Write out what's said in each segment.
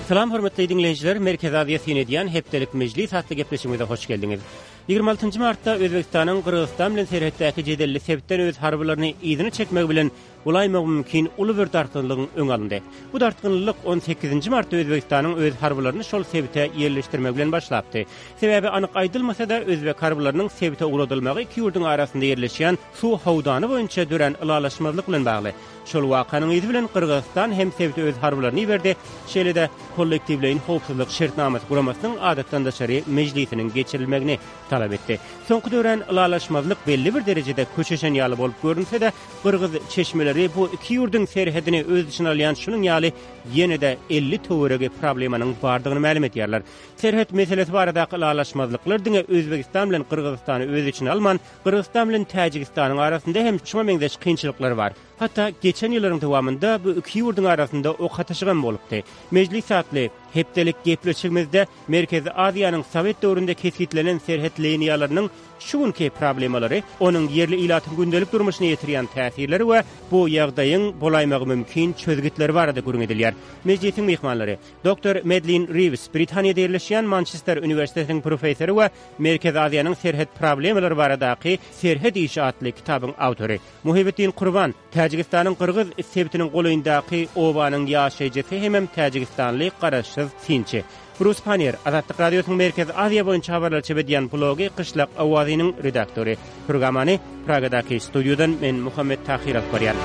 Salam hormatly diňleýjiler, Merkezi Aziýa syn edýän hepdelik mejlis atly gepleşigimize hoş geldiňiz. 26 martda Özbegistanyň Gyrgyzystan bilen serhetdäki jedelli sebitden öz harbylaryny yzyna çekmegi bilen bolaýmagy mümkin uly bir dartgynlygyň öňi alyndy. Bu dartgynlylyk on sekizinji martda Özbegistanyň öz harbylaryny şol sebite ýerleşdirmegi bilen başlapdy. Sebäbi anyk aýdylmasa-da, özbek harbylarynyň sebite ugradylmagy iki ýurduň arasynda ýerleşýän suw howdany boýunça dörän ylalaşmazlyk bilen bagly. Şol wakanyň yzy bilen Gyrgyzystan hem sebite öz harbylaryny iberdi, şeýle-de Kollektiwleýin howpsuzlyk şertnamasy guramasynyň adatdan daşary mejlisiniň geçirilmegini talap etdi. Soňky dörän ylalaşmazlyk belli bir derejede köşeşen ýaly bolup görünse-de, Gyrgyz çeşmeleri bu iki ýurduň serhedini öz içine alýan şunuň ýaly ýene-de 50 töweregi problemanyň bardygyny mälim edýärler. Serhet meselesi baradaky ylalaşmazlyklar diňe Özbegistan bilen Gyrgyzystany öz içine alman, Gyrgyzystan bilen Täjigistanyň arasynda hem şuňa meňzeş kynçylyklar bar. Hatda geçen ýyllaryň dowamynda bu iki ýurduň arasynda ok atyşygam bolupdy. Mejlis atly hepdelik gepleşigimizde Merkezi Aziýanyň sowet döwründe kesgitlenen serhet liniýalarynyň Şu günki problemalary, onuň ýerli ilatyň gündelik durmuşyna ýetirýän täsirleri we bu ýagdaýyň bolaýmagy mümkin çözgütleri barada gürrüň edilýär. Mejlisiň myhmanlary, doktor Medlin Riws, Britaniýada ýerleşýän Mançester uniwersitetiniň professory we Merkezi Aziýanyň serhet problemalary baradaky Serhet işi atly kitabyň awtory, Muhibiddin Kurban, Täjigistanyň Gyrgyz sebitiniň golaýyndaky obanyň ýaşaýjysy hemem täjigistanly garaşsyz synçy. Brus Pannier, Azatlyk Radiosynyň Merkezi Aziýa boýunça habarlary çap edýän blogy Gyşlak owazynyň redaktory. Programmany Pragadaky studiýadan men Muhammet Tahyr alyp barýan.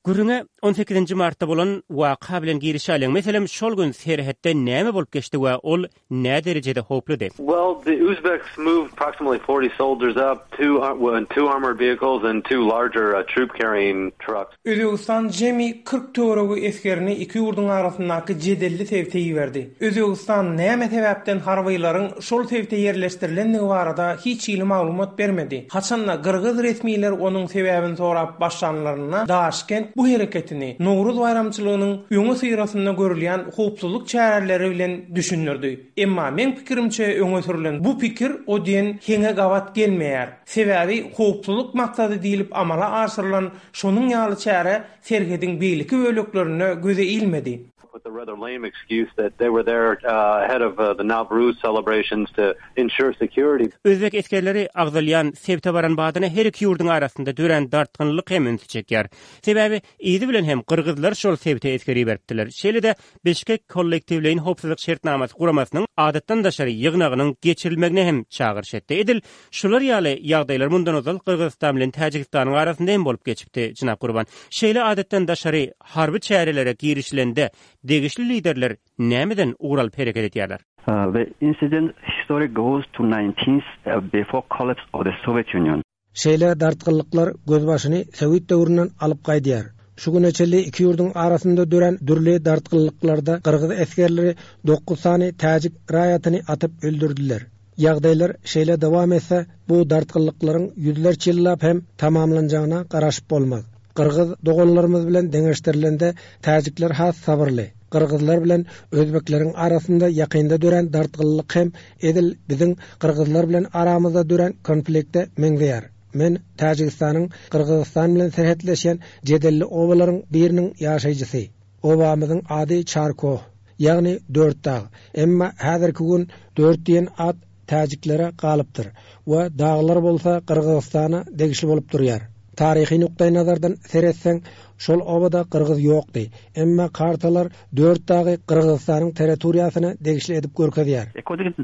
Gürrüňe on sekizinji martda bolan waka bilen girişäliň. Meselem, şol gün serhetde näme bolup geçdi we ol nä derejede howpludy? Well, the Uzbeks moved approximately 40 soldiers up, two in two armored vehicles and two larger troop carrying trucks. Özbegistan jemi 40 töweregi esgerini iki ýurduň arasyndaky jedelli sebite iberdi. Özbegistan näme sebäpden harbylaryň şol sebite ýerleşdirilendigi barada hiç hili maglumat bermedi. Haçanda gyrgyz resmiler onuň sebäbini sorap başlanlarynda Daşkent bu hereketini Nowruz baýramçylygynyň öňüsyrasynda görülýän howpsuzlyk çäreleri bilen düşündirdi. Emma meň pikirimçe öňe sürlen bu pikir o diýen heňe gabat gelmeýär. Sebäbi howpsuzlyk maksady diýlip amala aşyrylan şonuň ýaly çäre serhediň beýleki böleklerinde göze ilmedi. With a rather lame excuse that they were there ahead of the Navruz celebrations to ensure security. Özbek esgerleri agzalýan sebite baran badyna her iki ýurduň arasynda dörän dartgynlylyk hem ünsi çekýär. Sebäbi yzy bilen hem gyrgyzlar şol sebite esger iberipdiler. Şeýle-de Bişkek Kollektiwleýin howpsuzlyk şertnamasy guramasynyň adatdan daşary ýygnagynyň geçirilmegine hem çagyryş etdi. Edil şular ýaly ýagdaýlar mundan ozal Gyrgyzystan bilen Täjigistanyň arasynda hem bolup geçipdi, jenap Gurban. Şeýle adatdan daşary harby çärelere girişilende degişli liderler nämeden ugur alyp hereket edýärler? The incident history goes to nineteenth before collapse of the Soviet Union. Şeýle dartgynlyklar gözbaşyny sowet döwründen alyp gaýdýar. Şu güne çenli iki ýurduň arasynda dörän dürli dartgynlyklarda gyrgyz esgerleri dokuz sany täjik raýatyny atyp öldürdiler. Ýagdaýlar şeýle dowam etse, bu dartgynlyklaryň ýüzlerçe ýyllap hem tamamlanjagyna garaşyp bolmaz. Gyrgyz doganlarymyz bilen deňeşdirilende täjikler has sabyrly. Gyrgyzlar bilen özbekleriň arasynda ýakynda dörän dartgynlyk hem edil biziň gyrgyzlar bilen aramyzda dörän konflikte meňzeýär. Men Täjigistanyň Gyrgyzystan bilen serhetleşýän jedelli obalaryň biriniň ýaşaýjysy. Obamyzyň ady Çarkoh, ýagny Dört dag. Emma häzirki gün Dört diýen at täjiklere galypdyr we daglar bolsa Gyrgyzystana degişli bolup durýar. Taryhy nukdaýnazardan seretseň, şol obada gyrgyz ýokdy. Emma kartalar Dört dagy Gyrgyzystanyň territoriýasyna degişli edip görkezýär. According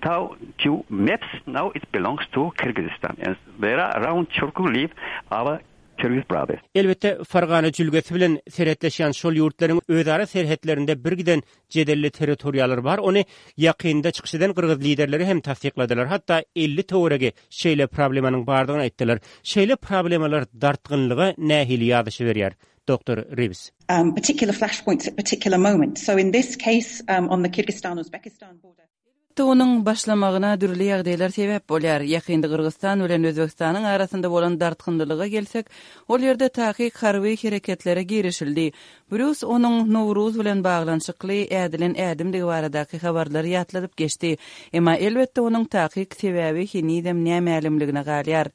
to maps, now it belongs to Kyrgyzstan and there are around Chorkor live our Kyrgyz brothers. Elbetde, Fergana jülgesi bilen serhetleşýän şol ýurtlaryň özara serhetlerinde birgiden jedelli territoriýalar bar, ony ýakynda çykyş eden gyrgyz liderleri hem tassykladylar, hatda 50 töweregi şeýle problemanyň bardygyny aýtdylar. Şeýle problemalar dartgynlyga nähili ýazyşyberýär, doktor Riws? Particular flashpoints at particular moments. So in this case, on the Kyrgyzstan-Uzbekistan border. Onuň başlamagyna dürli ýagdaýlar sebäp bolýar. Ýakynda Gyrgyzystan bilen Özbegistanyň arasynda bolan dartgynlylyga gelsek, ol ýerde takyk harby hereketlere girişildi. Brýus onuň Nowruz bilen baglanyşykly ädilen ädimdigi baradaky habarlary ýatladyp geçdi. Emma, elbetde, onuň takyk sebäbi henizem nämälimligine galýar.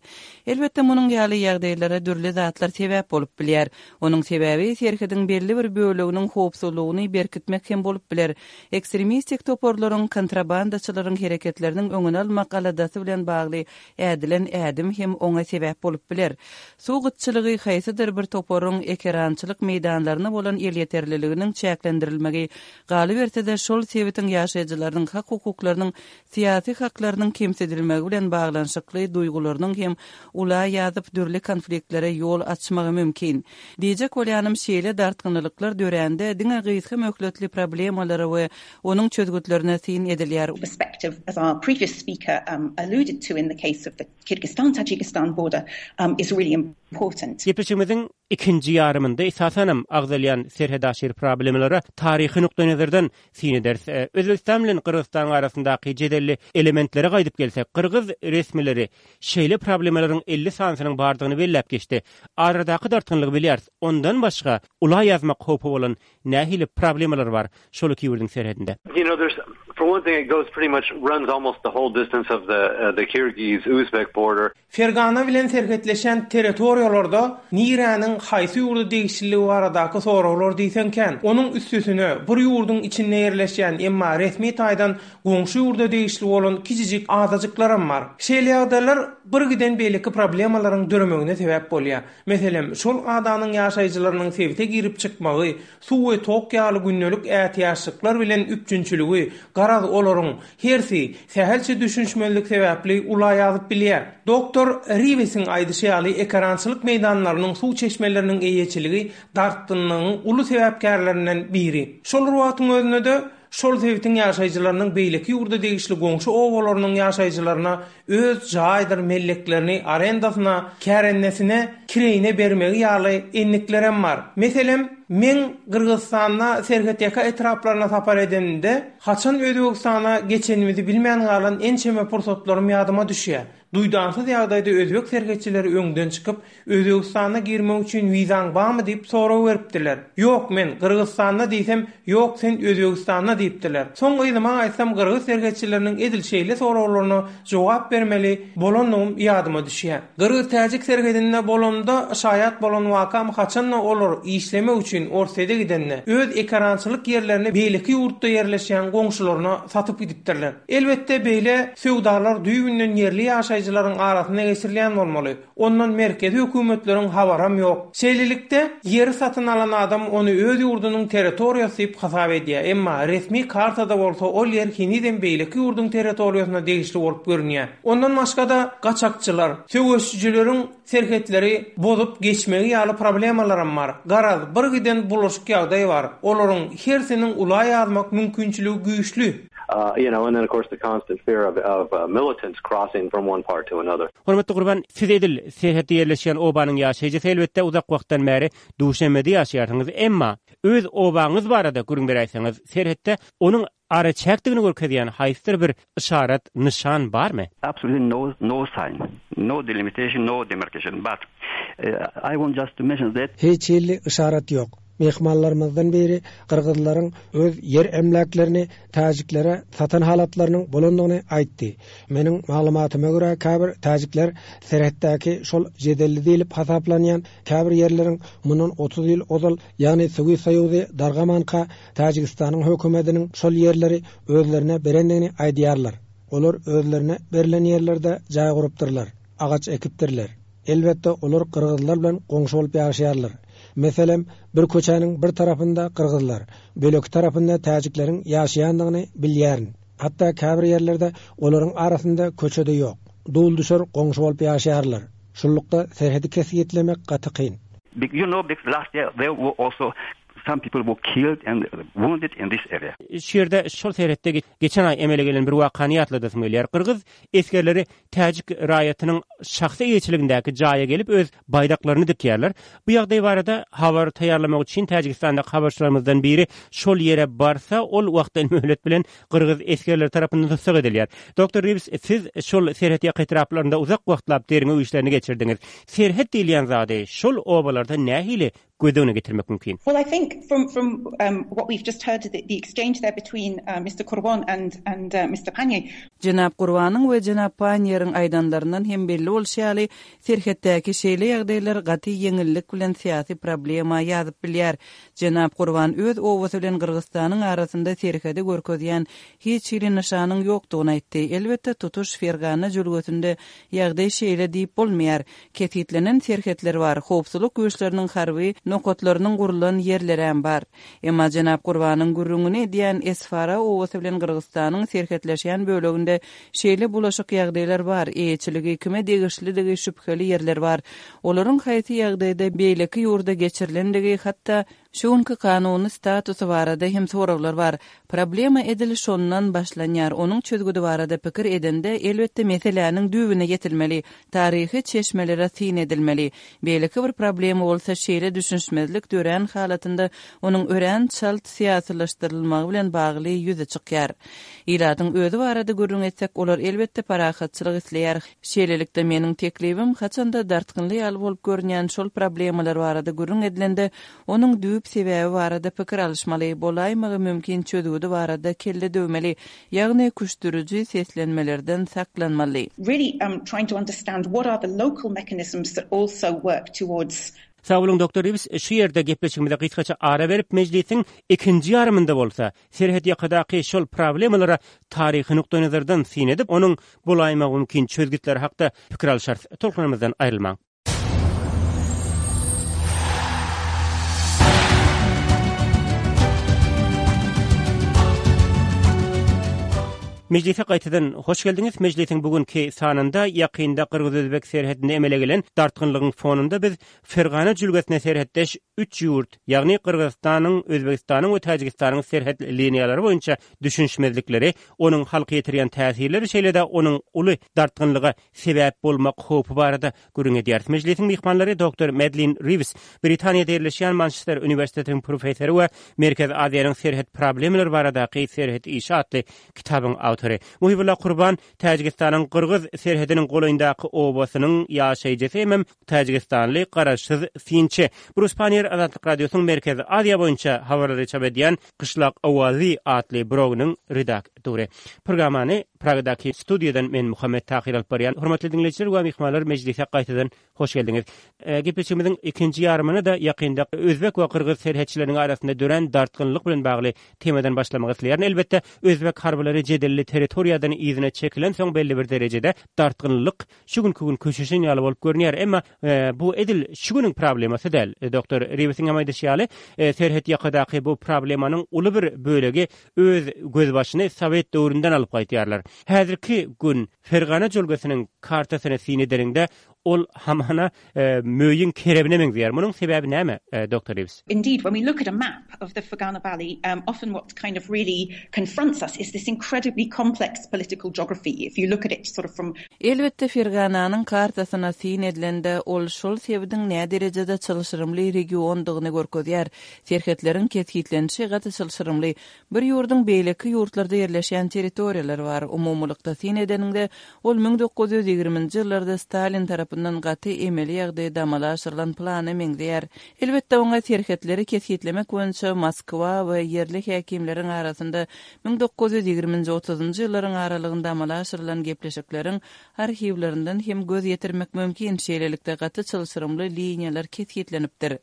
Elbetde, munuň ýaly ýagdaýlara dürli zatlar sebäp bolup bilýär. Onuň sebäbi serhediň belli bir böleginiň howpsuzlygyny berkitmek hem bolup biler. Ekstremistik toparlaryň, kontrabandaçylaryň hereketleriniň öňüni almak aladasy bilen bagly ädilen ädim hem oňa sebäp bolup biler. Suw gytçylygy haýsydyr bir toparyň ekerançylyk meýdanlaryna bolan elýeterliliginiň çäklendirilmegi, galyberse-de, şol sebitiň ýaşaýjylarynyň hak-hukuklarynyň syýasy haklarynyň kemsidilmegi bilen baglanyşykly duýgularynyň hem ula ýazyp dürli konfliktlere ýol açmagy mümkin. Diýjek bolýanym şeýle dartgynlylyklar dörände diňe gysga möhletli problemalara we onuň çözgütlerine syn edilýär. perspective as our previous speaker alluded to in the case of the Kyrgyzstan-Tajikistan border is really important. Gepleşigimiziň ikinji ýarymynda esasanam agzalýan serhetaşyr problemalara taryhy nukdaýnazardan syn ederis. Özbegistan bilen Gyrgyzystanyň arasyndaky jedelli elementlere gaýdyp gelsek, gyrgyz resmileri şeýle problemalaryň 50 sanysynyň bardygyny belläp geçdi. Aradaky dartgynlygy bilýäris. Ondan başga ula ýazmak howpy bolan nähili problemalar bar şol iki ýurduň serhedinde? You know, there's for one thing it goes pretty much runs almost the whole distance of the uh, the Kyrgyz-Uzbek border. Fergana bilen serhetleşýän territoriýalarda niräniň haýsy ýurda degişliligi baradaky soraglar diýseň kän. Onuň üstesine, bir ýurduň içinde ýerleşýän, emma resmi taýdan goňşy ýurda degişli bolan kiçijik adajyklaram bar. Şeýle ýagdaýlar birgiden beýleki problemalaryň döremegine sebäp bolýar. Meselem, şol adanyň ýaşaýjylarynyň sebite girip çykmagy, suw we tok ýaly gündelik ätiýaçlyklar bilen üpjünçiligi, garaz, olaryň hersi sähelçe düşünişmezlik sebäpli ula ýazyp bilýär. Doktor Riwesiň aýdyşy ýaly, ekerançylyk meýdanlarynyň suw çeşmeleriniň eýeçiligi dartgynlygyň uly sebäpkärlerinden biri. Şol bir wagtyň özünde-de, şol sebitiň ýaşaýjylarynyň beýleki ýurda degişli goňşy obalarynyň ýaşaýjylaryna öz jaýdyr melleklerini arendasyna, kärendesine, kireýine bermegi ýaly endiklerem bar. Meselem, meň Gyrgyzystanda serhetýaka etraplaryna sapar edenimde, haçan Özbegistana geçenimizi bilmän galan ençeme pursatlarym ýadyma düşýär. Duýdansyz ýagdaýda özbek serhetçileri öňden çykyp, Özbegistana girmek üçin wizaň barmy diýip sorag beripdiler. Ýok, men Gyrgyzystanda diýsem, Ýok, sen Özbegistanda diýipdiler. Soň yzyma gaýtsam gyrgyz serhetçileriniň edil şeýle soraglaryna jogap bermeli bolandygym ýadyma düşýär. Gyrgyz-täjik serhedinde bolamda şaýat bolan wakam haçanda olar işlemek üçin Orsýede gidende, öz ekerançylyk ýerlerini beýleki ýurtda ýerleşýän goňşularyna satyp gidipdirler. Elbetde beýle söwdalar düýbünden ýerli ýaşaýjylaryň arasynda geçirilýän bolmaly. Ondan merkezi hökümetleriň habaram ýok. Şeýlelikde, ýeri satyn alan adam ony öz ýurdunyň territoriýasy diýip hasap edýär, emma resmi kartada bolsa ol ýer henizem beýleki ýurduň territoriýasyna degişli bolup görünýär. Ondan başga-da, gaçakçylar, söweşijileriň serhetleri bozup geçmegi ýaly problemalaram bar. Garaz, birgiden bulaşyk ýagdaý bar. Olaryň hersiniň ula ýazmak mümkinçiligi güýçli. You know, and then of course the constant fear of of militants crossing from one part to another. Hormatly Gurban, siz edil serhetde ýerleşýän obanyň ýaşaýjysy, elbetde uzak wagtdan bäri Duşenbede ýaşaýarsyňyz, emma öz obaňyz barada gürrüň beräýseňiz, serhetde onuň araçäkdigini görkezýän haýsydyr bir yşarat, nyşan barmy? Absolutely no, no sign, no delimitation, no demarcation, but I want just to mention that. Hiç hili yşarat ýok. Myhmanlarymyzdan biri gyrgyzlaryň öz ýer emläklerini täjiklere satan halatlarynyň bolandygyny aýtdy. Meniň maglumatyma görä, käbir täjikler serhetdäki şol jedelli diýlip hasaplanýan käbir ýerleriň mundan 30 ýyl ozal, ýagny Sowet Soýuzy dargamanka Täjigistanyň hökümetiniň şol ýerleri özlerine berendigini aýdýarlar. Olar özlerine berlen ýerlerde jaý gurupdyrlar, agaç ekipdirler. Elbetde, olar gyrgyzlar bilen goňşy bolup ýaşaýarlar. Meselem, bir köçäniň bir tarapynda gyrgyzlar, böleki tarapynda täjikleriň ýaşaýandygyny bilýärin. Hatda käbir ýerlerde olaryň arasynda köçe-de ýok. Dul-düşer goňşy bolup ýaşaýarlar. Şunlukda serhedi kesgitlemek gaty kyn. You know, last year there were also. Some people were killed and wounded in this area. Şu ýerde şol serhetde geçen aý emele gelen bir wakany ýatladasym gelýär. Gyrgyz esgerleri täjik raýatynyň şahsy eýeçiligindäki jaýa gelip öz baýdaklaryny dikýärler. Bu ýagdaý barada habar taýýarlamak üçin Täjigistandaky habarçylarymyzdan biri şol ýere barsa, ol wagtal-möhlet bilen gyrgyz esgerleri tarapyndan tussag edilýär. Doktor Riwz, siz şol serhetýaka etraplarynda uzak wagtlap derňew işlerini geçirdiňiz. Serhet diýilýän zady şol obalarda nähili göz öňüne getirmek mümkin? Well, I think from from um what we've just heard the the exchange there between uh Mister Kurbon and and uh Mister Panier. Jenap Gurbanyň we jenap Panieriň aýdanlaryndan hem belli bolşy ýaly, serhetdäki şeýle ýagdaýlar gaty ýeňillik bilen syýasy problema ýazyp bilýär. Jenap Gurban öz obasy bilen Gyrgyzystanyň arasynda serhedi görkezýän hiç hili nyşanyň ýokdugyny aýtdy. Elbetde, tutuş Fergana jülgesinde ýagdaý şeýle diýip bolmaýar. Kesgitlenen serhetler bar, howpsuzlyk güýçleriniň harby nokatlarynyň gurlan ýerlerem bar. Emma jenap Gurbanyň gürrüňini edýän Esfara obasy bilen Gyrgyzystanyň serhetleşýän böleginde şeýle bulaşyk ýagdaýlar bar, eýeçiligi kime degişlidigi şübheli ýerler bar. Olaryň haýsy ýagdaýda beýleki ýurda geçirilendigi, hatda şu günki kanuny statusy barada hem soraglar bar. Problema edil şondan başlanýar, onuň çözgüdi barada pikir edende, elbetde, meseläniň düýbüne ýetilmeli, taryhy çeşmelere syn edilmeli. Beýleki bir problema bolsa şeýle düşünişmezlik dörän halatynda onuň örän çalt syýasylaşdyrylmagy bilen bagly ýüze çykýar. Ilatyň özi barada gürrüň etsek, olar elbetde parahatçylyk isleýär. Şeýlelikde, meniň teklibim, haçanda dartgynly ýaly bolup görünýän şol problemalar barada gürrüň edilende, onuň düýp sebäbi barada pikir alyşmaly, bolaýmagy mümkin çözgüdi barada kelle döwmeli, ýagny küşdüriji seslenmelerden saklanmaly. Really trying to understand what are the local mechanisms that also work towards Sag boluň, Doktor Riwz, şu ýerde gepleşigimize gysgaça ara berip, mejlisiň ikinji ýarymynda bolsa, serhet ýakadaky şol problemalara taryhy nukdaýnazardan syn edip, onuň bolaýmagy mümkin çözgütleri hakda pikir alyşarys. Tolkunlarymyzdan aýrylmaň. Mejlise gaýtadan hoş geldiňiz. Mejlisiň bu günki sanynda ýakynda gyrgyz-özbek serhedinde emele gelen dartgynlygyň fonunda biz Fergana jülgesine serhetdeş üç ýurt, ýagny Gyrgyzystanyň, Özbegistanyň we Täjigistanyň serhet liniýalary boýunça düşünişmezlikleri, onuň halka ýetirýän täsirleri, şeýle-de onuň uly dartgynlyga sebäp bolmak howpy barada gürrüň edýäris. Mejlisiň myhmanlary doktor Medlin Riwz, Britaniýada ýerleşýän Mançester uniwersitetiniň professory we Merkezi Aziýanyň serhet problemalary baradaky Serhet işi atly kitabyň awtory. Muhybulla Kurban, Täjigistanyň gyrgyz serhediniň golaýyndaky obasynyň ýaşaýjysy hemem täjigistanly garaşsyz synçy. Brus Panniýer Azatlyk Radiosynyň Merkezi Aziýa boýunça habarlary çap edýän Gyşlak owazy atly blogynyň redaktory. Programmany Pragadaky studiýadan men Muhammet Tahyr alyp barýan. Hormatly diňleýjiler we myhmanlar mejlise gaýtadan hoş geldiňiz. Gepleşigimiziň ikinji ýarymyny-da ýakynda özbek we gyrgyz serhetçileriniň arasynda dörän dartgynlyk bilen bagly temadan başlamak isleýärin. Elbetde, özbek harbylary jedelli territoriýadan yzyna çekilensoň belli bir derejede dartgynlylyk şu günki gün köşeşen ýaly bolup görünýär. Emma bu edil şu günüň problemasy däl. Doktor Riwsiň hem aýdyşy ýaly, serhet ýakadaky bu problemanyň uly bir bölegi öz gözbaşyny sowet döwründen alyp gaýtýarlar. Häzirki gün Fergana jülgesiniň kartasyny syn edeniňde, ol hamana möýüň kerebine meňzeýär. Munuň sebäbi näme, doktor Riws? Indeed, when we look at a map of the Fergana Valley, often what kind of really confronts us is this incredibly complex political geography. If you look at it sort of from. Elbetde, Fergananyň kartasyna syn edilende, ol şol sebitiň näderejede çylşyrymly regiondygyny görkezýär. Serhetleriň kesgitlenişi gaty çylşyrymly. Bir ýurduň beýleki ýurtlarda ýerleşýän territoriýalary bar. Umumylykda syn edeniňde, ol 1920-nji ýyllarda Stalin tarapyndan gaty emeli ýagdaýda amala aşyrylan plana meňzeýär. Elbetde, oňa serhetleri kesgitlemek boýunça Moskwa we ýerli häkimleriň arasynda 1920-nji, otuzynjy ýyllaryň aralygynda amala aşyrylan gepleşikleriň arhiwlerinden hem göz ýetirmek mümkin, şeýlelikde gaty çylşyrymly liniýalar kesgitlenipdir.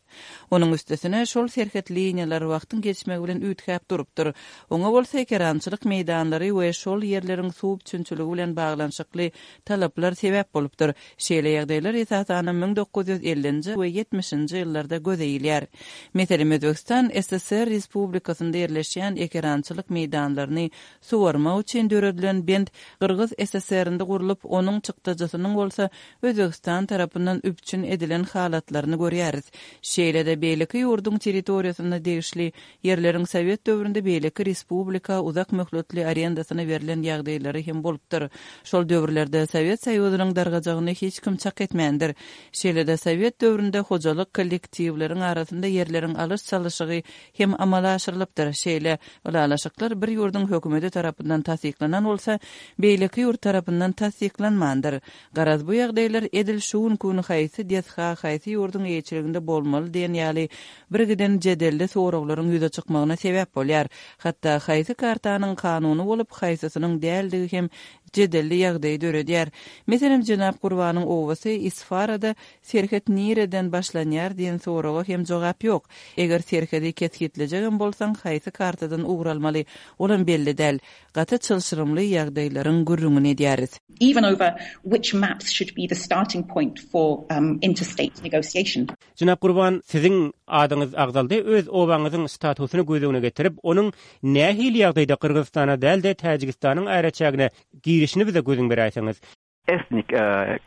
Onuň üstesine, şol serhet liniýalary wagtyň geçmegi bilen üýtgäp durupdyr. Oňa bolsa ekerançylyk meýdanlary we şol ýerleriň suw üpjünçiligi bilen baglanyşykly talaplar sebäp bolupdyr. Şeýle. ýagdaýlar esasanam 1950-nji we 70-nji ýyllarda göze ilýär. Meselem, Özbegistan SSR Respublikasynda ýerleşýän ekerançylyk meýdanlaryny suwarmak üçin döredilen bent Gyrgyz SSR-nde gurlup, onuň çykdajysynyň bolsa Özbegistan tarapyndan üpjün edilen halatlaryny görýäris. Şeýle-de beýleki ýurduň territoriýasyna degişli ýerleriň sowet döwründe beýleki respublika uzak möhletli arendasyna berlen ýagdaýlary hem bolupdyr. Şol döwürlerde Sowet Soýuzynyň dargajagyny hiç kim çak etmändir. Şeýle-de sowet döwründe hojalyk kollektiwleriň arasynda ýerleriň alyş-çalyşygy hem amala aşyrylypdyr. Şeýle ylalaşyklar bir ýurduň hökümeti tarapyndan tassyklanan bolsa, beýleki ýurt tarapyndan tassyklanmandyr. Garaz, bu ýagdaýlar edil şu günki gün haýsy desga haýsy ýurduň eýeçiliginde bolmaly diýen ýaly birgiden jedelli soraglaryň ýüze çykmagyna sebäp bolýar. Hatda haýsy kartanyň kanuny bolup, haýsysynyň däldigi hem jedelli ýagdaýy döredýär. Meselem, jenap Gurbanyň obasy Isfarada serhet nireden başlanýar diýen soraga hem jogap ýok. Eger serhedi kesgitlejegem bolsaň, haýsy kartadan ugur almaly, olam belli däl. Gaty çylşyrymly ýagdaýlaryň gürrüňini edýäris. Even over which maps should be the starting point for interstate negotiation. Jenap Gurban, siziň adyňyz agzaldy. Öz obaňyzyň statusyny göz öňüne getirip, onuň nähili ýagdaýda Gyrgyzystana däl-de, Täjigistanyň araçägine girişini bize gözüň beräýseňiz. Ethnic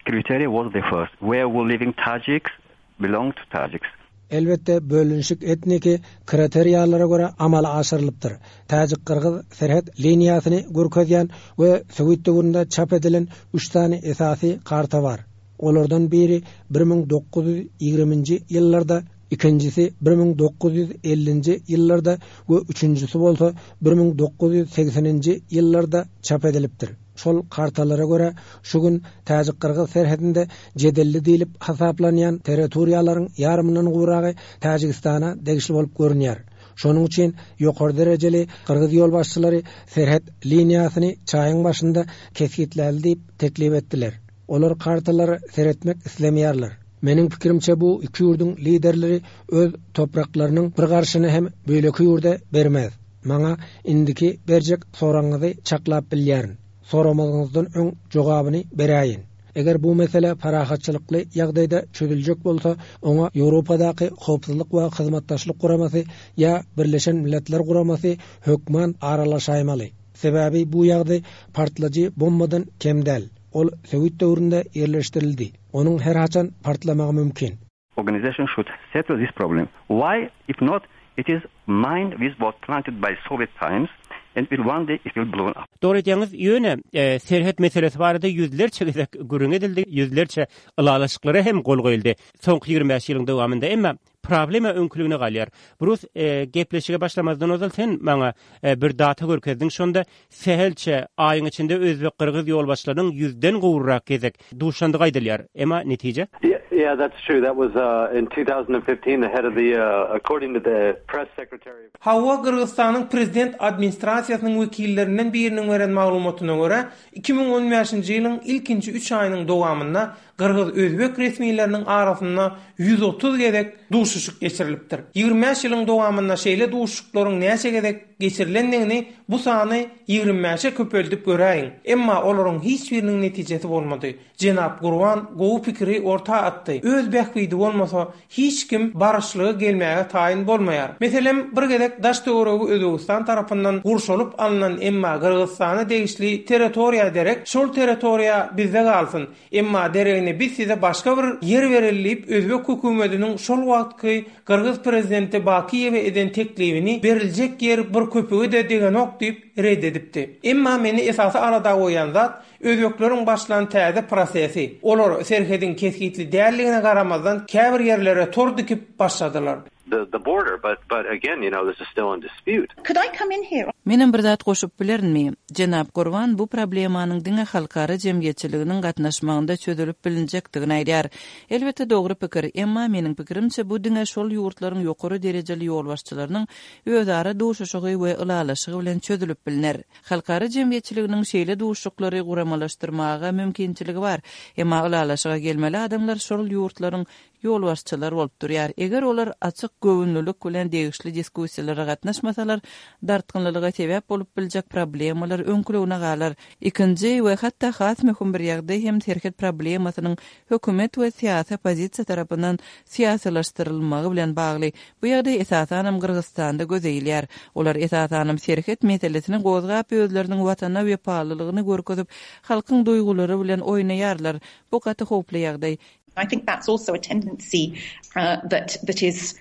criteria was the first, where were living Tajiks belong to Tajiks. Elbetde, bölünişik etniki kriteriýalara görä amala aşyrylypdyr. Täjik-gyrgyz serhet liniýasyny görkezýän we sowet döwründe çap edilen üç sany esasy karta bar. Olardan biri 1920-nji ýyllarda, ikinjisi 1950-nji ýyllarda we üçünjisi bolsa 1980-nji ýyllarda çap edilipdir. Şol kartalara görä, şu gün täjik-gyrgyz serhedinde jedelli diýlip hasaplanýan territoriýalaryň ýarymyndan gowragy Täjigistana degişli bolup görünýär. Şonuň üçin ýokary derejeli gyrgyz ýolbaşçylary serhet liniýasyny çaýyň başynda kesgitläli diýip teklip etdiler. Olar kartalara seretmek islemeýärler. Meniň pikirimçe bu iki ýurduň liderleri öz topraklarynyň bir garşyny hem beýleki ýurda bermez. Maňa indiki berjek soragyňyzy çaklap bilýärin. Soramazyňyzdan öň jogabyny beräýin. Eger bu mesele parahatçylykly ýagdaýda çözüljek bolsa, oňa Ýewropadaky Howpsuzlyk we Hyzmatdaşlyk Guramasy ýa Birleşen Milletler Guramasy hökman aralaşaýmaly. Sebäbi bu ýagdaý partlajy bombadan kem däl. Ol sowet döwründe ýerleşdirildi. Onuň her haçan partlamagy mümkin. Organization should settle this problem. Why, if not, it is mine which was planted by Soviet times and will one day it will blown up. Dogry aýdýaňyz, ýöne serhet meselesi barada ýüzlerçe gezek gürrüň edildi, ýüzlerçe ylalaşyklara hem gol goýuldy soňky 25 ýylyň dowamynda. Emma problema öňküligine galýar. Brus, gepleşige başlamazdan ozal sen maňa bir data görkezdiň, şonda sähelçe aýyň içinde özbek-gyrgyz ýolbaşçylarynyň ýüzden gowrak gezek duşandygy aýdylýar. Emma netije? Yeah, that's true. That was in 2015 the head of the according to the press secretary. Hawa, Gyrgyzystanyň prezident administrasiýasynyň wekillerinden biriniň beren maglumatyna görä, 2015-nji ýylyň ilkinji üç aýynyň dowamynda Gyrgyz-özbek resmileriniň arasynda 130 gezek duşuşyk geçirilipdir. 25 ýylyň dowamynda şeýle duşuşyklaryň näçe gezek geçirilendigini bu sany 25-e köpeldip göräýiň. Emma olaryň hiç biriniň netijesi bolmady. Jenap Gurban gowy pikiri orta atdy. Öz bähbidi bolmasa, hiç kim baryşlyga gelmäge taýyn bolmaýar. Meselem, bir gezek daş-töweregi Özbegistan tarapyndan gurşalyp alnan emma Gyrgyzystana degişli territoriýa derek şol territoriýa bizde galsyn, Emma deregine biz size başga bir ýer bereli diýip, özbek hökümetiniň şol wagtky gyrgyz prezidenti Bakiýewe eden teklibini beriljek ýer bir köpüge-de degenok diýip, red edipdi. Emma meni esasy alada goýýan zat, özbekleriň başlan täze prosesi. Olar serhediň kesgitli däldigine garamazdan käbir ýerlere tor dikip başladylar. The the border but but again you know this is still in dispute. Could I come in here? Menem bir zat goşup bilerinmi? Jenap Gurban bu problemanyň diňe halkara jemgyýetçiliginiň gatnaşmagynda çözülip bilinjekdigini aýdýar. Elbetde dogry pikir, emma meniň pikirimçe bu diňe şol ýurtlaryň ýokary derejeli ýolbaşçylarynyň özara duşuşygy we ylalaşygy bilen çözülip bilner. Halkara jemgyýetçiliginiň şeýle duşuşyklary guramalaşdyrmaga mümkinçiligi bar, emma ylalaşyga gelmeli adamlar şol ýurtlaryň. ýolbaşçylar bolup durýar. Eger olar açyk göwünlilik bilen degişli diskussiýalara gatnaşmasalar, dartgynlylyga sebäp bolup biljek problemalar öňküligine galar. Ikinji we hatda has möhüm bir ýagdaý hem serhet problemasynyň hökümet we syýasy oppozisiýa tarapyndan syýasylaşdyrylmagy bilen bagly. Bu ýagdaý esasanam Gyrgyzystanda göze ilýär. Olar esasanam serhet meselesini gozgap özleriniň watana wepalylygyny görkezip halkyň duýgulary bilen oýnaýarlar. Bu gaty howply ýagdaý. I think that's also a tendency that that is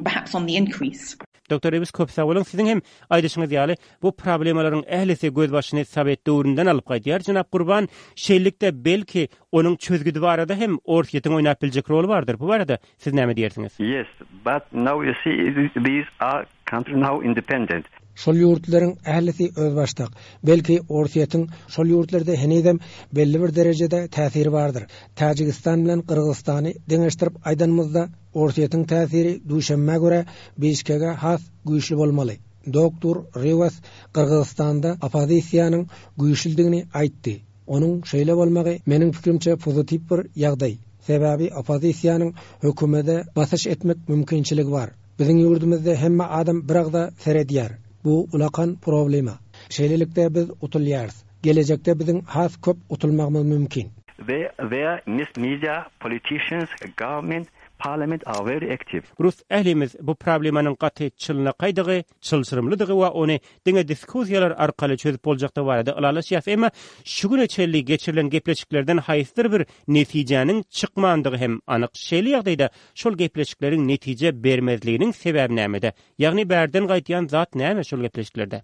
perhaps on the increase. Doktor Ribs köp sag boluň. Siziň hem aýdyşyňyz ýaly, bu problemalaryň ählisi gözbaşyny sowet döwründen alyp gaýdýar. Jenap Gurban, şeýlelikde belki onuň çözgüdi barada hem Orsýetiň oýnap biljek roly bardyr. Bu barada siz näme diýersiňiz? Yes, but now you see these are country now independent. Şol ýurtlaryň ählisi özbaşdak. Belki Orsýetiň şol ýurtlarda henizem belli bir derejede täsiri bardyr. Täjigistan bilen Gyrgyzystany deňeşdirip aýdanymyzda, Orsýetiň täsiri Duşenbä görä Bişkege has güýçli bolmaly. Doktor Riwas Gyrgyzystanda oppozisiýanyň güýçlüdigini aýtdy. Onuň şeýle bolmagy meniň pikirimçe pozitiw bir ýagdaý. Sebäbi oppozisiýanyň hökümede basyş etmek mümkinçiligi bar. Biziň ýurdumyzda hemme adam bir agza seredýär. Bu ulakan problema. Şeýlelikde biz utulýarys. Gelejekde biziň has köp utulmagymyz mümkin. They their mis media, politicians, government, parliament are very active. Rus ählimiz bu problemanyň gaty çylnakaýdygy, çylşyrymlydygy we ony diňe diskussiýalar arkaly çözüp boljakdygy barada ylalaşýas. Emma şu güne çenli geçirilen gepleşiklerden haýsydyr bir netijäniň çykmandygy hem anyk. Şeýle ýagdaýda şol gepleşikleriň netije bermezliginiň sebäbi nämede? Ýagny bärden gaýdýan zat näme şol gepleşiklerde?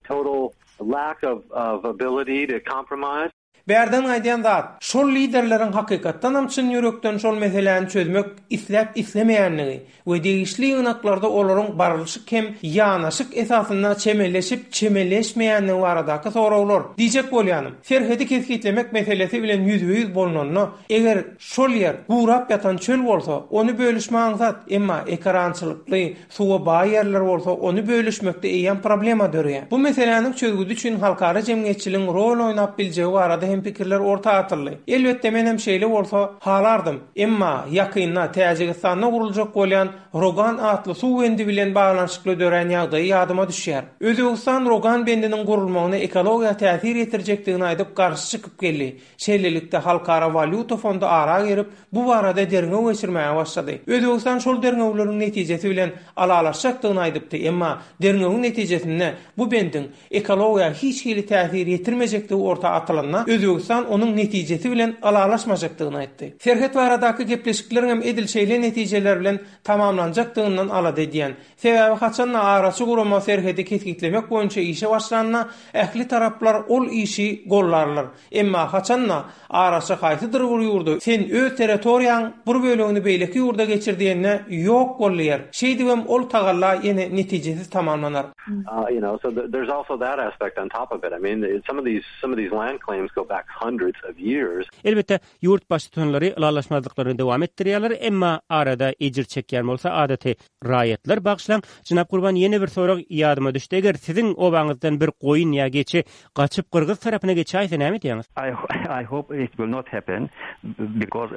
Total lack of of ability to compromise. Bärden gaýdýan zat, şol liderleriň hakykatdanam çyn ýürekden şol meseläni çözmek isläp-islemeýänligi we degişli ýygnaklarda olaryň barlyşyk hem ýanaşyk esasynda çemeleşip-çemeleşmeýänligi baradaky soraglar. Diýjek bolýanym, serhedi kesgitlemek meselesi bilen ýüzbe-ýüz bolnanda, eger şol ýer gurap ýatan çöl bolsa, ony bölüşme aňsat, emma ekerançylykly, Suwa baý ýerler bolsa, ony bölüşmekde eýýäm problema döreýär. Bu meseläniň çözgüdi üçin halkara jemgyýetçiligiň rol oýnap biljegi barada hem pikirler orta atyldy. Elbetde menem şeýle bolsa halardym. Emma ýakynda Täjigistanda guruljak bolýan Rogan atly suw bendi bilen baglanyşykly dörän ýagdaýy ýadyma düşýär. Özbegistan Rogan bendiniň gurulmagyna ekologiýa täsir ýetirjekdigini aýdyp garşy çykyp geldi. Şeýlelikde, Halkara walýuta fondy ara girip, bu barada derňew geçirmäge başlady. Özbegistan şol derňewleriň netijesi bilen ylalaşjakdygyny aýdypdy, emma derňewiň netijesinde bu bendiň ekologiýa hiç hili täsir ýetirmejekdigi orta atylanda, Özbegistan onuň netijesi bilen ylalaşmajakdygyny aýtdy. Serhet baradaky gepleşikleriň hem edil şeýle netijeler bilen tamamlanjakdygyndan alada edýän. Sebäbi haçan-da araçy gurama serhedi kesgitlemek boýunça işe başlanda, ähli taraplar ol işi gollarlar. Emma haçan-da araçy haýsydyr bir ýurda sen öz territoriýaň bir bölegini beýleki ýurda geçir diýende ýok bol diýer. Şeýdibem ol tagalla ýene netijesiz tamamlanar. You know, so there's also that aspect on top of it. I mean, some of these some of these land claims go back hundreds of years. Elbetde, ýurt baştutanlary ylalaşmazlyklaryny dowam etdirýärler, emma arada ejir çekýän bolsa adaty Raýatlar bagyşlaň, jenap Gurban ýene bir sorag ýadyma düşdi, eger siziň obaňyzdan bir goýun ýa geçi gaçyp gyrgyz tarapyna geçäýse näme edýäňiz? I hope it will not happen because.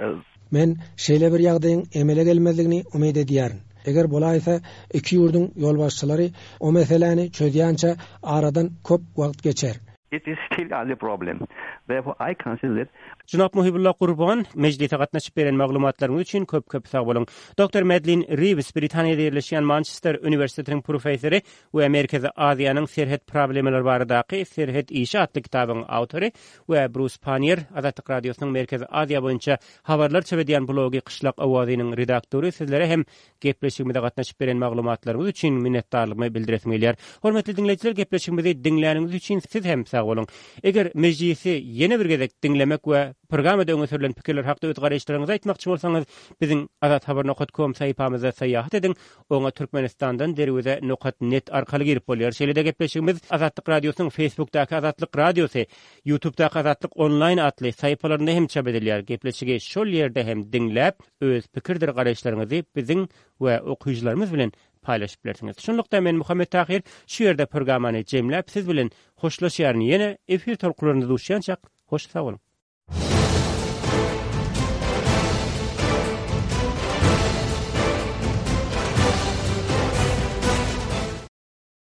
Men şeýle bir ýagdaýyň emele gelmezligini umyt edýärin. Eger bolaýsa, iki ýurduň ýolbaşçylary o meseläni çözýänçä aradan köp wagt geçer. It is still a problem. Therefore I consider that. Jenap Muhybulla Gurban, mejlise gatnaşyp beren maglumatlaryňyz üçin köp köp sag boluň. Doktor Medlin Riws, Britaniýada ýerleşýän Mançester uniwersitetiniň professory we Merkezi Aziýanyň serhet problemalary baradaky Serhet işi atly kitabyň awtory we Brus Pannier, Azatlyk Radiosynyň Merkezi Aziýa boýunça habarlar çap edýän blogy Kyşlak owazynyň redaktory sizlere hem Gepleşigimize gatnaşyp beren maglumatlaryňyz üçin minnetdarlygymy bildiresim gelýär. Hormatly diňleýjiler gepleşigimizi diňläniňiz üçin siz hem sag boluň. Eger mejlisi ýene bir gezek diňlemek we programmada öňe sürlen pikirler hakda öz garaýyşlaryňyzy aýtmakçy bolsaňyz biziň azathabar nokat kom sahypamyzda syýahat ediň. Oňa Türkmenistandan derweze nokat net arkaly girip bolýar. Şeýle-de gepleşigimiz Azatlyk Radiosynyň Facebookdaky Azatlyk Radiosy, Ýutubdaky Azatlyk onlaýn atly sahypalarynda hem çap edilýär. Gepleşigi şol ýerde hem diňläp, öz pikirdir garaýyşlaryňyzy biziň we okyjylarymyz bilen paýlaşyp bilersiňiz. Şunlukda men Muhammet Tahyr şu ýerde programmany jemläp siz bilen hoşlaşýaryn ýene efir tolkunlarynda duşýançak hoş sag boluň.